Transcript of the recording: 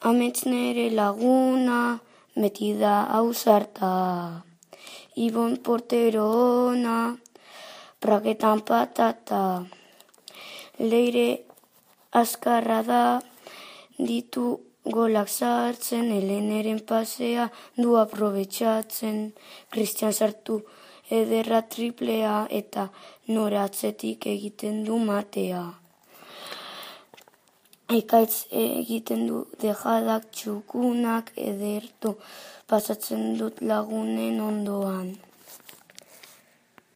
Amets nere laguna, beti da ausarta. Ibon portero ona, praketan patata. Leire azkarra da, ditu golak sartzen, Heleneren pasea du aprobetxatzen. Kristian sartu ederra triplea, eta nora atzetik egiten du matea. Ekaitz egiten du dejadak txukunak, ederto pasatzen dut lagunen ondoan.